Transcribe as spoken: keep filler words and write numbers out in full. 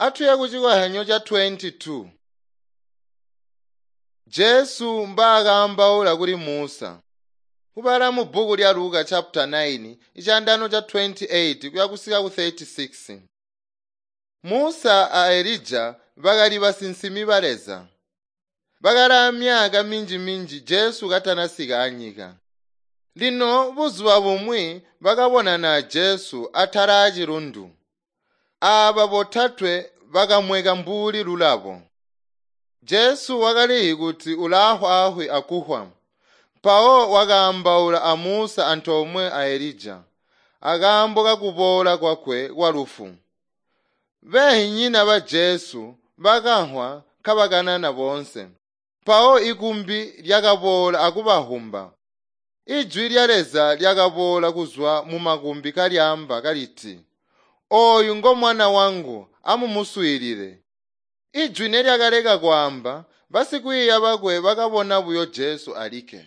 Atuye kucikozyanyo ca twenty-two. Jesu mbaakaambaula kuli Musa. Kubala mu bbuku lya Luka chapter nine, icandano ca twenty-eight kuya kusika ku thirty-six. Musa a Elija bakali basinsimi ba Leza. Bakali amyaka minji-minji Jesu katanasika anyika. Lino buzuba bumwi bakabonana a Jesu atala aacilundu. Aaba botatwe bakamweka mbuli lulabo. Jesu wakalizi kuti ulaafwaafwi akufwa. Mpawo wakaambaula a Musa antoomwe a Elija, akaambo kakuboola kwakwe kwalufu. Beenzinyina ba Jesu bakamvwa kabakanana boonse. Mpawo ikumbi lyakaboola akubavwumba. Ijwi lya Leza lyakaboola kuzwa mumakumbi kalyaamba kaliti, “Ooyu ngo mwana wangu, amumuswiilile.” Ijwi nelyakaleka kwaamba, basikwiiya bakwe bakabona buyo Jesu alikke.